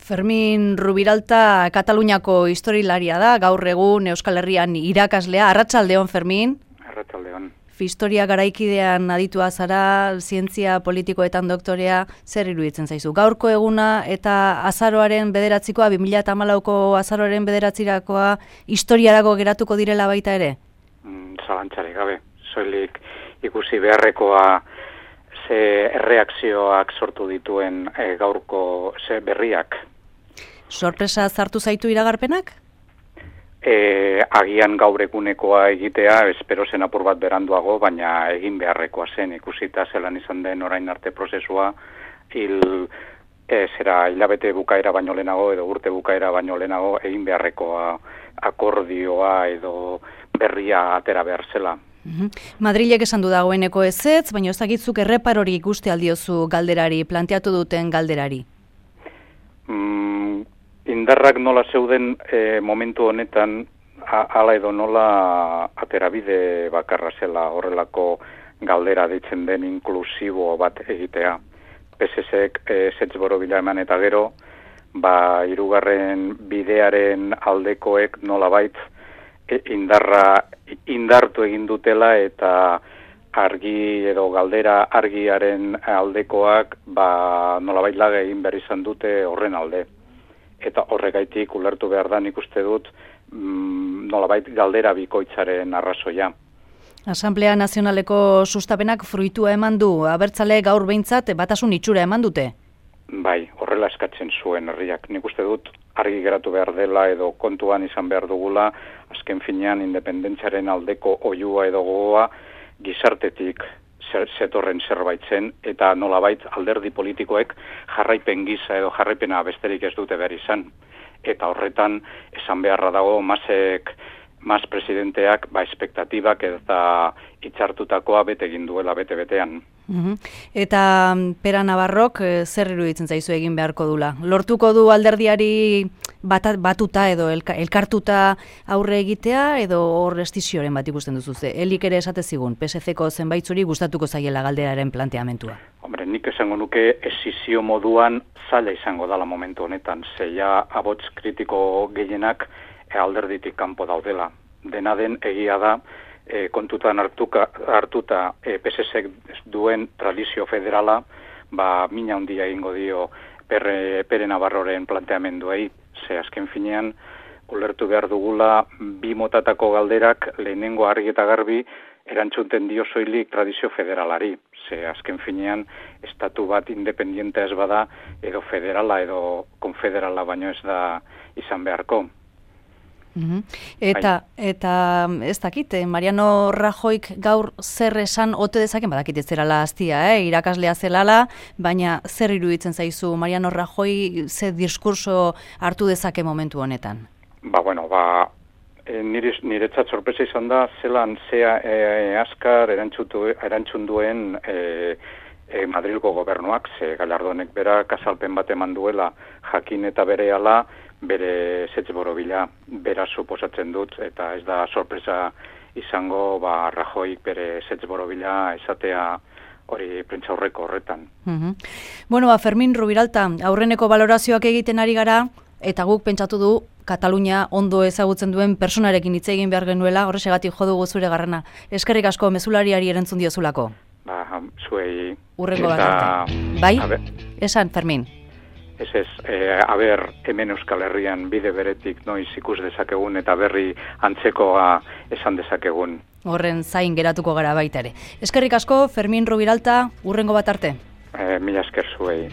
Fermin Rubiralta Kataluniako historilaria da, gaur egun Euskal Herrian irakaslea. Arratsaldeon, Fermin. Arratsaldeon. Historia garaikidean aditua zara, zientzia politikoetan doktorea, zer iruditzen zaizu? Gaurko eguna eta azaroaren 9koa, 2014ko azaroaren 9 historiarako geratuko direla baita ere? Zalantzarik gabe, soilik ikusi beharrekoa ze erreakzioak sortu dituen gaurko ze berriak. Sorpresa zartu zaitu iragarpenak? Agian gaur egunekoa egitea, espero zen apur bat beranduago, baina egin beharrekoa zen, ikusita zelan izan den orain arte prozesua, hilabete bukaera baino lehenago edo urte bukaera baino lehenago egin beharrekoa akordioa edo berria atera behar zela. Madrilek esan du dagoeneko ezetz, baina ez dakitzuk erreparori ikuste aldiozu galderari, planteatu duten galderari. Indarrak nola zeuden momentu honetan, hala edo nola aterabide bakarra zela horrelako galdera deitzen den inklusibo bat egitea. PSSek ezetz borobila eman eta gero, hirugarren bidearen aldekoek nolabait indartu egin dutela eta argi edo galdera argiaren aldekoak nolabait laga egin behar izan dute horren alde. Eta horregaitik ulertu behar da nik uste dut nolabait galdera bikoitzaren arrazoia. Asamblea Nazionaleko sustapenak fruitua eman du, abertzale gaur behintzat batasun itxura eman dute? Bai, horrela eskatzen zuen herriak. Nik uste dut argi geratu behar dela edo kontuan izan behar dugula, azken finean independentziaren aldeko oiua edo gogoa gizartetik zetorren zerbait zen, eta nolabait alderdi politikoek jarraipen gisa edo jarraipena besterik ez dute behar izan. Eta horretan esan beharra dago Mas presidenteak espektatibak eta hitzartutakoa bete egin duela bete-betean. Eta Pera Navarrok zer iruditzen zaizu egin beharko dula? Lortuko du alderdiari batuta edo elkartuta aurre egitea edo hor estizioren bat ikusten duzu? Elik ere esate zigun, PSC-ko zenbaitzuri gustatuko zaiela galderaren planteamentua. Hombre, nik esango nuke esizio moduan zaila izango dala momentu honetan, zeia abots kritiko gehienak alderditik kanpo daudela. Dena den egia da, kontutan hartuta PSSek duen tradizio federala, mina handia egingo dio Pere Navarroren planteamenduei, ze azken finean, ulertu behar dugula, bi motatako galderak lehenengo argi eta garbi erantzuten dio soilik tradizio federalari. Ze azken finean, estatu bat independiente ez bada, edo federala edo konfederala baino ez da izan beharko. Eta ez dakit, Mariano Rajoyk gaur zer esan ote dezaken, badakit ez zerala hastia, irakaslea zelala, baina zer iruditzen zaizu Mariano Rajoy ze diskurso hartu dezake momentu honetan? Niretzat sorpresa izan da, zelan zea azkar erantzun duen Madrilgo gobernuak, ze Gallardonek berak azalpen bat eman duela jakin eta berehala, bere ezetz borobila bera suposatzen dut, eta ez da sorpresa izango Rajoy bere ezetz borobila esatea hori prentsaurreko horretan. Fermin Rubiralta, aurreneko balorazioak egiten ari gara, eta guk pentsatu du Katalunia ondo ezagutzen duen personarekin hitz egin behar genuela, horrexegatik jo dugu zure garrana. Eskerrik asko mezulariari erantzun diozulako. Zuei. Urrengo bat arte. Bai? Esan, Fermin. Ez, hemen Euskal Herrian bide beretik noiz ikus dezakegun eta berri antzekoa esan dezakegun. Horren zain geratuko gara baita ere. Eskerrik asko, Fermin Rubiralta, urrengo bat arte. Mila esker zuei.